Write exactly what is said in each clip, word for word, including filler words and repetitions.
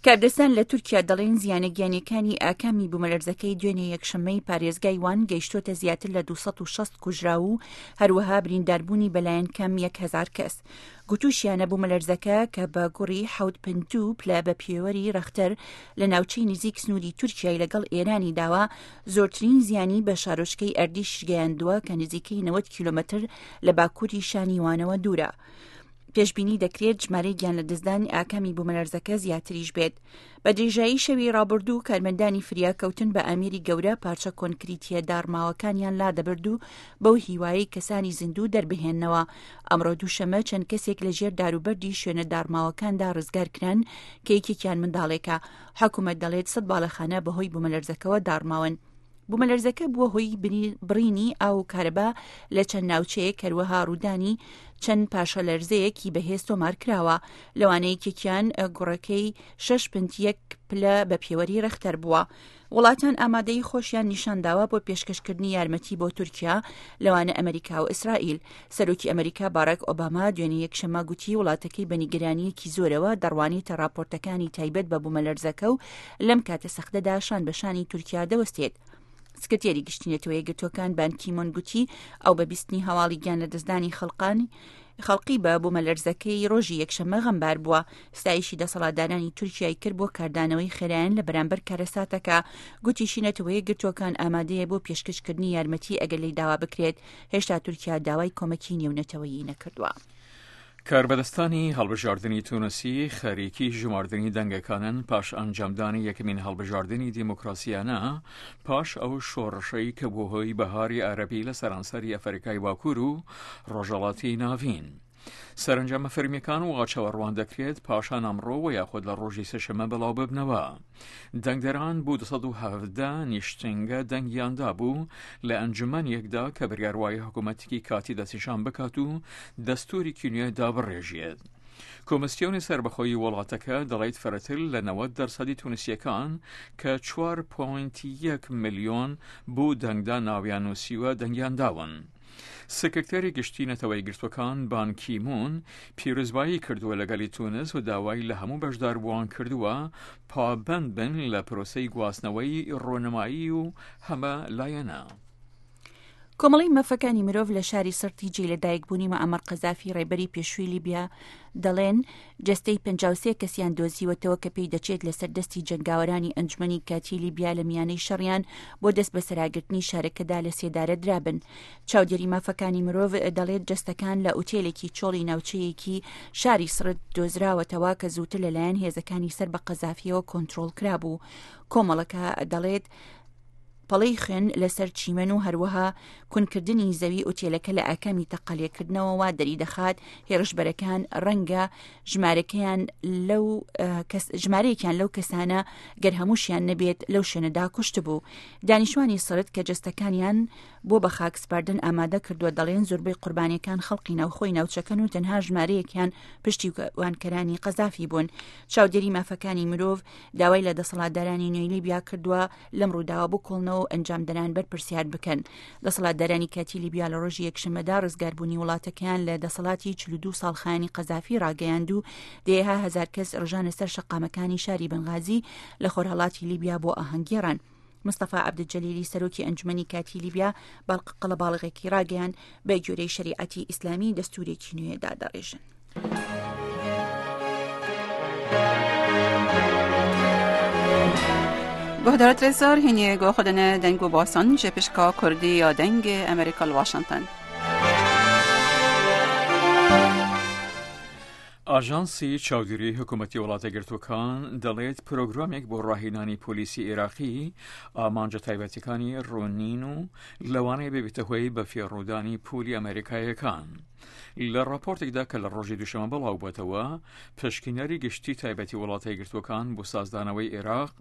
کاردەستان لە تورکیا دەڵێن زیانە گیانیەکانی ئاکامی بوومەلەرزەکەی دوێنێ یەکشەممەی پارێزگای وان گەیشتۆتە زیاتر لە دوو سەد و شەست کوژراو و هەروەها برینداربوونی بەلایەن کەم یەک هەزار کەس. گوتوشیانە بوومەلەرزەکە کە بە گوڕی حەوت پنج دوو پلە بە پێوەری ڕەختەر لە ناوچەی نزیک سنووری تورکیای لەگەڵ ئێرانی داوە، زۆرترین زیانی بە شارۆچکەی ئەردیش گەیاندووە کە نزیکەی نەوەد کیلۆمەتر لە باکووری شانی وانەوە دوورە. پێشبینی دەکرێت ژمارەی گیان لەدەستدانی ئاکامی بوومەلەرزەکە زیاتریش بێت. بە درێژایی شەوی ڕابردوو کارمەندانی فریاکەوتن بە ئامێری گەورە پارچە کۆنکریتیە داڕماوەکانیان لادەبرد و بەو هیوایەی کەسانی زیندوو دەربهێننەوە. ئەمڕۆ دووشەمە چەند کەسێک لە ژێر داروبەردی شوێنە داڕماوەکاندا ڕزگار کران کە یەکێکیان منداڵێکە. حکوومەت دەڵێت سەد باڵەخانە بەهۆی بوومەلەرزەکەوە داڕماون. بوومەلەرزەکە بووە هۆی بڕینی ئاو و کارەبا لە چەند ناوچەیەک، هەروەها ڕوودانی چەند پاشەلەرزەیەکی بەهێز تۆمار کراوە، لەوانە یەکێکیان گوڕەکەی شەش پنت یەک پلە بە پێوەری ڕەختەر بووە. وڵاتان ئامادەی خۆشیان نیشانداوە بۆ پێشکەشکردنی یارمەتی بۆ تورکیا، لەوانە ئەمریکا و ئیسرائیل. سەرۆکی ئەمریکا باراک ئۆباما دوێنێ یەکشەممە گوتی وڵاتەکەی بە نیگەرانییەکی زۆرەوە دەڕوانێتە راپۆرتەکانی تایبەت بە بوومەلەرزەکە و لەم کاتە سەختەدا شان بە شانی تورکیا دەوەستێت. سکرتێری گشتی نەتەوە یەکگرتووەکان بان کیمۆن گوتی ئەو بە بیستنی هەواڵی گیان لەدەستدانی خەڵقانی خەڵقی بە بوومەلەرزەکەی ڕۆژی یەکشەممە غەمبار بووە. ستایشی دەسەڵاتدارانی تورکیای کرد بۆ کاردانەوەی خێرایان لە بەرامبەر کارەساتەکە. گوتیشی نەتەوە یەکگرتووەکان ئامادەیە بۆ پێشکەشکردنی یارمەتی ئەگەر لێی داوا بکرێت. هێشتا تورکیا داوای کۆمەکی نێونەتەوەیی نەکردووە. کاربەدەستانی هەڵبژاردنی تونسی خەریکی ژماردنی دەنگەکانن پاش ئەنجامدانی یەکەمین هەڵبژاردنی دیموکراسیانە پاش ئەو شۆڕشەی کە بووە هۆی بەهاری عەرەبی لە سەرانسەری ئەفریکای باکوور و ڕۆژهەڵاتی ناڤین. سەرەنجامە فەرمیەکان وا چاوەڕوان دەکرێت پاشان ئەمڕۆ و یاخود لە ڕۆژی سێشەممە بڵاو ببنەوە. دەنگدەران بۆ دوو سەد و حەڤدە نیشتنگە دەنگیان دابوو لە ئەنجومەنێکدا کە بڕیار وایە حکوومەتێکی کاتی دەستنیشان بکات و دەستوورێکی نوێ دابڕێژێت. کۆمسیۆنی سەربەخۆی وڵاتەکە دەڵێت فرەتر لە نەوەد دەرسەدی تونسیەکان کە چوار پۆینت یەک ملیۆن بۆ دەنگدان ناویان نووسیوە دەنگیان داون. سکرتێری گشتی نەتەوە یەکگرتووەکان بان کی مون پیرۆزبایی کردووە لە گەلی تونس و داوای لە هەموو بەشداربووان کردووە پابەند بن لە پرۆسەی گواستنەوەی ڕۆنمایی و هەمە لایەنە. کۆمەڵەی مافەکانی مرۆڤ لە شاری سرتی جێ لەدایکبوونی معەمەر قەزافی ڕێبەری پێشووی لیبیا دەڵێن جەستەی پەنجا و سێ کەسیان دۆزیوەتەوە کە پێی دەچێت لەسەر دەستی جەنگاوەرانی ئەنجومەنی کاتی لیبیا لە میانەی شەڕیان بۆ دەست بەسەراگرتنی شارەکەدا لە سێدارە درابن. چاودێری مافەکانی مرۆڤ دەڵێت جەستەکان لە ئوتێلێکی چۆڵی ناوچەیەکی شاری سرت دۆزراوەتەوە کە زووتر لەلایەن هێزەکانی سەر بە قەزافیەوە کۆنترۆڵ کرابوو. کۆمەڵەکە دەڵێت پەڵەی خوێن لەسەر چیمەن و هەروەها کونکردنی زەوی ئوتێلەکە لە ئاکامی تەقەلێکردنەوە وا دەریدەخات هێرشبەرەکان ڕەنگە ژمارەکەیان لەو کەس ژمارەیەکیان لەو کەسانە گەر هەمووشیان نەبێت لەو شوێنەدا کوشت بوو. دانیشتوانی سرت کە جەستەکانیان بۆ بە خاک سپاردن ئامادە کردووە دەڵێن زۆربەی قوربانیەکان خەڵقی ناوخۆی ناوچەکەن و تەنها ژمارەیەکیان پشتیوانکەرانی قەزافی بوون. چاودێری مافەکانی مرۆڤ داوای لە دەسەڵاتدارانی نوێی لیبیا کردووە لەم ڕووداوە بکۆڵنەوە و ئەنجامدەران بەرپرسیار بکەن. دەسەڵاتدارانی کاتی لیبیا لە ڕۆژی یەکشەممەدا ڕزگاربوونی وڵاتەکەیان لە دەسەڵاتی چل و دوو ساڵ خایەنی قەزافی ڕاگەیاند و دەیەها هەزار کەس ڕژانە سەر شەقامەکانی شاری بنغازی لە خۆرهەڵاتی لیبیا بۆ ئاهەنگگێڕان. مستەفا عەبدولجەلیلی سەرۆکی ئەنجومەنی کاتی لیبیا باڵق قەڵەباڵغێکی ڕاگەیاند بە گوێرەی شەریعەتی ئیسلامی دەستورێکی نوێ دادەڕێژن. گهدارت رزار هینی گو خودن دنگ و باسان جه پشکا کردی یا دنگ امریکا واشنگتن. ئاژانسی چاودێری حکوومەتی وڵاتە گرتووەکان دەڵێت پرۆگرامێک بۆ ڕاهێنانی پۆلیسی عێراقی ئامانجە تایبەتەکانی ڕوونین و لەوانەیە ببێتە هۆی بە فێڕوودانی پولی ئەمریکایەکان. لە ڕاپۆرتێکدا کە لە ڕۆژی دووشەمە بڵاو بووەتەوە، پشکینەری گشتی تایبەتی وڵاتە یەکگرتووەکان بۆ سازدانەوەی عێراق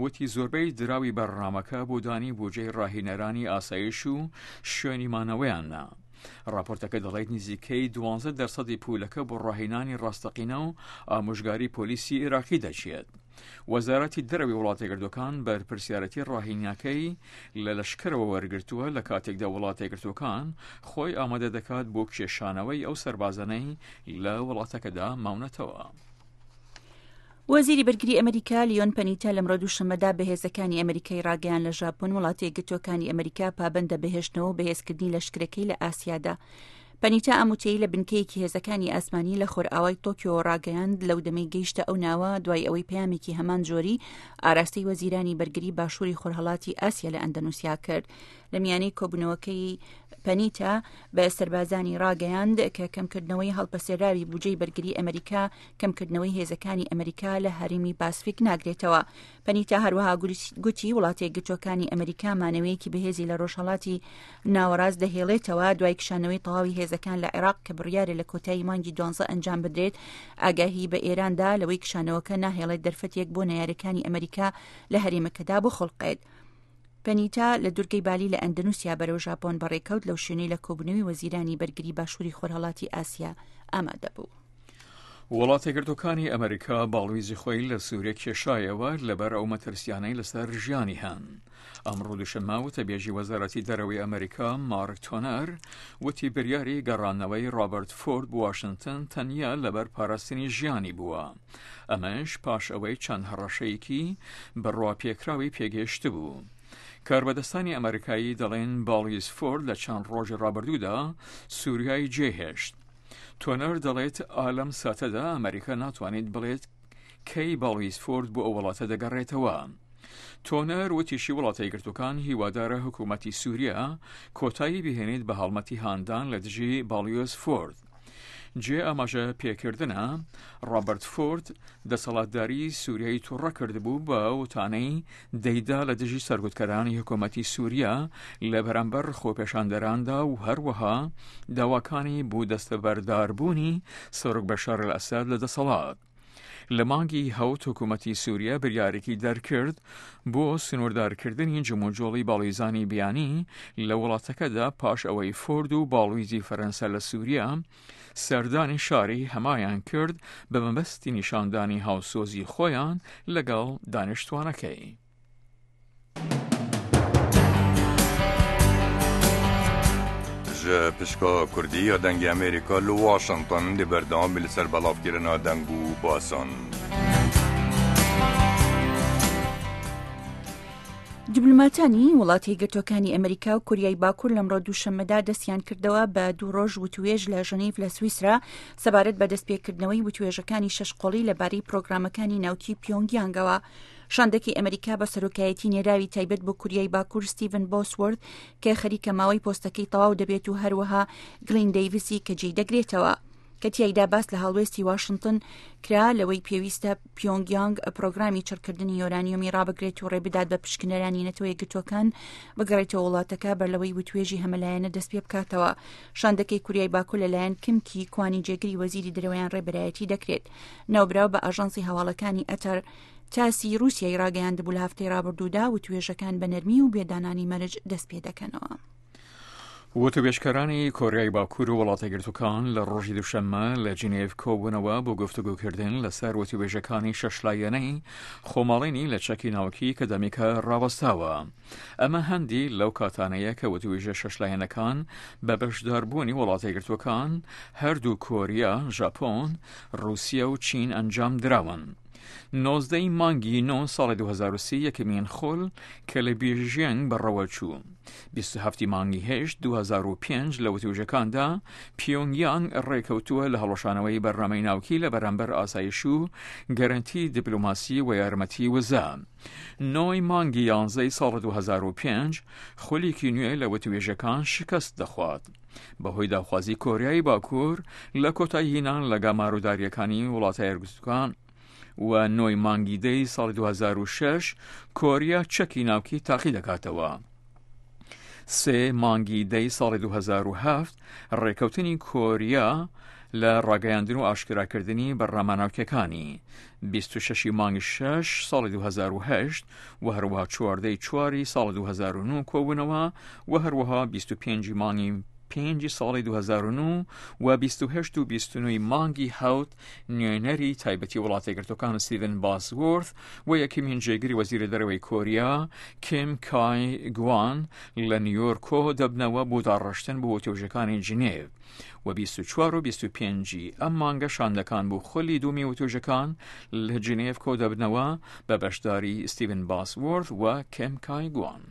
وتی زۆربەی دراوی بەرنامەکە بۆ دانی بودجەی ڕاهێنەرانی ئاسایش و شوێنی مانەوەیانە. ڕاپۆرتەکە دەڵێت نزیکەی دوانزە دەرسەدی پولەکە بۆ ڕاهێنانی ڕاستەقینە و ئامۆژگاری پۆلیسی عێراقی دەچێت. وەزارەتی دەرەوەی وڵاتە یەکگرتووەکان بەرپرسیارەتی ڕاهێنەکەی لە لەشکرەوە وەرگرتووە لە کاتێکدا وڵاتە یەکگرتووەکان خۆی ئامادە دەکات بۆ کێشانەوەی ئەو سەربازانەی لە وڵاتەکەدا ماونەتەوە. وەزیری بەرگری ئەمریکا لیۆن پەنیتا لەمڕۆ دووشەممەدا بە هێزەکانی ئەمریکای ڕاگەیان لە ژاپۆن وڵاتە یەکگرتووەکانی ئەمریکا پابەندە بەهێشتنەوە و بەهێزکردنی لەشکرەکەی لە ئاسیادا. پەنیتا ئەم وتەی لە بنکەیەکی هێزەکانی ئاسمانی لە خۆرئاوای تۆکیۆ ڕاگەیاند لەو دەمەی گەیشتە ئەو ناوە دوای ئەوەی پەیامێکی هەمان جۆری ئاراستەی وەزیرانی بەرگری باشووری خۆرهەڵاتی ئاسیا لە ئەندەنوسیا کرد. لە میانەی کۆبوونەوەکەی پەنیتا بە سەربازانی ڕاگەیاند کە کەمکردنەوەی هەڵپەسێراوی بودجەی بەرگری ئەمریکا کەمکردنەوەی هێزەکانی ئەمریکا لە هەرێمی پاسفیک ناگرێتەوە. پەنیتا هەروەها گوتی وڵاتە یەکگرتووەکانی ئەمریکا مانەوەیەکی بەهێزی لە ڕۆژهەڵاتی ناوەڕاست دەهێڵێتەوە دوای کشانەوەی تەواوی هێزەکان لە عێراق کە بڕیارە لە کۆتایی مانگی دوانزە ئەنجام بدرێت. ئاگاهی بە ئێراندا لەوەی کشانەوەکە ناهێڵێت دەرفەتێک بۆ نەیارەکانی ئەمریکا لە هەرێمەکەدا بخوڵقێت. پەنیتا لە دوورگەی بالی لە ئەندەنوسیا بەرەو ژاپۆن بەڕێکەوت لەو شوێنەی لە کۆبوونەوەی وەزیرانی بەرگری باشووری خۆرهەڵاتی ئاسیا ئامادە بوو. وڵاتە یەکگرتووەکانی ئەمریکا باڵویزی خۆی لە سووریا کێشایەوە لەبەر ئەو مەترسیانەی لەسەر ژیانی هەن. ئەمڕۆ دووشەممە وتەبێژی وەزارەتی دەرەوەی ئەمریکا مارک تۆنەر وتی بریاری گەڕانەوەی ڕابرت فۆرد بۆ واشنگتن تەنیا لەبەر پاراستنی ژیانی بووە، ئەمەش پاش ئەوەی چەند هەڕەشەیەکی بڕواپێکراوی پێگەیشتبوو. کاربەدەستانی ئەمریکایی دەڵێن باڵویز فۆرد لە چەند ڕۆژی ڕابردوودا سووریای جێهێشت. تۆنەر دەڵێت ئالەم ساتەدا ئەمریکا ناتوانێت بڵێت کەی باڵویز فۆرد بۆ ئەو وڵاتە دەگەڕێتەوە. تۆنەر وتیشی وڵاتە یەکگرتووەکان هیوادارە حکوومەتی سووریا کۆتایی بهێنێت بە هەڵمەتی هاندان لە دژی باڵیۆز فۆرد. جێ ئاماژە پێکردنە ڕابرت فۆرد دەسەڵاتداری سووریای تووڕە کردبوو بە وتانەی دەیدا لە دژی سەرکوتکەرانی حکوومەتی سووریا لە بەرامبەر خۆپێشاندەراندا و هەروەها داواکانی بۆ دەستەبەرداربوونی سەرۆک بەشار ئەلئەسەد لە دەسەڵات. لە مانگی هەوت حکوومەتی سووریا بریارێکی دەرکرد بۆ سنووردارکردنی جموجۆڵی باڵویزانی بیانی لە وڵاتەکەدا پاش ئەوەی فۆرد و باڵویزی فەرەنسا لە سووریا سەردانی شاری هەمایان کرد بە مەبەستی نیشاندانی هاوسۆزی خۆیان لەگەڵ دانیشتوانەکەی. پشکا کوردی یا دەنگی ئەمریکا لە واشنگتن دی بەردەوام بی لەسەر بەڵاوکردنا دەنگ و باسان. دیبلۆماتانی وڵاتی یەکگرتووەکانی ئەمریکا و کوریای باکوور لەمڕۆ دووشەممەدا دەستیان کردەوە بە دوو ڕۆژ وتوێژ لە ژنیف لە سویسرا سەبارەت بە دەستپێکردنەوەی وتوێژەکانی شەش قۆڵی لەبارەی پرۆگرامەکانی ناوکی پیۆنگیانگەوە. شاندەکی ئەمریکا بە سەرۆکایەتی نێراوی تایبەت بۆ کوریای باکوور ستیڤن بۆسوۆرد کە خەریکە ماوەی پۆستەکەی تەواو دەبێت و هەروەها گلین دەیڤسی کە جێی دەگرێتەوە. کە تیایدا باس لە هەڵوێستی واشنگتن کرا لەوەی پێویستە پیۆنگیانگ پرۆگرامی چڕکردنی یۆرانیۆمی ڕابگرێت و ڕێبدات بە پشکنەرانی نەتەوە یەکگرتووەکان بگەڕێتەوە وڵاتەکە بەر لەوەی وتوێژی هەمەلایەنە دەست پێ بکاتەوە. شاندەکەی کوریای باکوور لەلایەن کیم کی کوانی جێگری وەزیری دەرەوەیان ڕێبەرایەتی دەکرێت. ناوبراو بە ئاژانسی هەواڵەکانی ئەتەر تاسی رووسیای ڕاگەیاندبوو لە هەفتەی ڕابردوودا وتوێژەکان بە نەرمی و بێدانانی مەرج دەست پێ دەکەنەوە. وتوێژکەرانی کۆریای باکوور و وڵاتە یەکگرتووەکان لە ڕۆژی دووشەممە لە جنێڤ کۆبوونەوە بۆ گفتوگۆکردن لەسەر وتوێژەکانی شەشلایەنەی خۆماڵینی لە چەکی ناوکی کە دەمێکە ڕاوەستاوە. ئەمە هەندی لەو کاتانەیە کە وتوێژە شەشلایەنەکان بە بەشداربوونی وڵاتە یەکگرتووەکان، هەردوو کۆریا، ژاپۆن، ڕوسیا و چین ئەنجام دراون. نۆزدەی مانگی نۆ ساڵی دوو هەزار و سی یەکەمین خول کە لە بیژینگ بەڕەوە چوو. بیست و هەفتی مانگی هەشت دوو هەزار و پێنج لە وتوێژەکاندا پیۆنگیانگ ڕێکەوتووە لە هەڵوەشانەوەی بەرنامەی ناوکی لە بەرامبەر ئاسایش و گەرەنتی دیپلۆماسی و یارمەتی وزە. نۆی مانگی یانزەی ساڵ دوو هەزار و پێنج خولێکی نوێ لە وتوێژەکان شکست دەخوات بەهۆی داخوازی کۆریای باکوور لە کۆتایی هینان لە گەمارۆداریەکانی وڵاتە یەکگرتووەکان و نۆی مانگی دەی ساڵی دوو هەزار و شەش کۆریا چەکی ناوکی تاقی دەکاتەوە. سێ مانگی دەی ساڵی دوو هەزار و هەفت ڕێکەوتنی کۆریا لە ڕاگەیاندن و ئاشکراکردنی بەرنامە ناوکیەکانی بیست و شەش مانگی شەش ساڵی دوو هەزار و هەشت و هەروەها چواردەی چواری ساڵی دوو هەزار و نۆ کۆبوونەوە و هەروەها بیست و پێنج مانگی پێنجی ساڵی دوو هەزار و نۆ و بیست و هەشت و بیست و نۆ ی مانگی حەوت نوێنەری تایبەتی وڵاتە یەکگرتووەکان ستیڤن باسوۆرث و یەکەمین جێگری وەزیری دەرەوەی کۆریا کیم کای گوان لە نیویۆرک کۆ دەبنەوە بۆ داڕشتن بۆ وتوێژەکانی جنێڤ و بیست و چوار و بیست و پێنج ی ئەم مانگە شاندەکان بۆ خولی دوومی وتوێژەکان لە جنێڤ کۆ دەبنەوە بە بەشداری ستیڤن باسوۆرث و کیم کای گوان.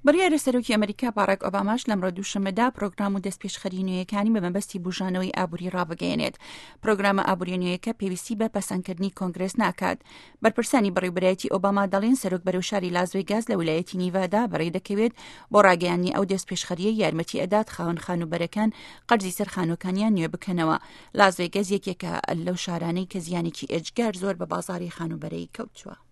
بڕیارە سەرۆکی ئەمریکا باراک ئۆباماش لەمڕۆ دووشەممەدا پرۆگرام و دەستپێشخەری نوێیەکانی بە مەبەستی بوژانەوەی ئابووری ڕابگەیەنێت. پرۆگرامە ئابووریە نوێیەکە پێویستی بە پەسەندکردنی کۆنگرێس ناکات. بەرپرسانی بەڕێوبەرایەتی ئۆباما دەڵێن سەرۆک بەرەو شاری لاس ڤێگاس لە ویلایەتی نیڤادا بەڕێ دەکەوێت بۆ ڕاگەیاندنی ئەو دەستپێشخەریە یارمەتی ئەدات خاوەن خانووبەرەکان قەرزی سەر خانووەکانیان نوێ بکەنەوە. لاس ڤێگاس یەکێکە لەو شارانەی کە زیانێکی ئێجگار زۆر بە بازاڕی خانووبەرەی کەوتووە.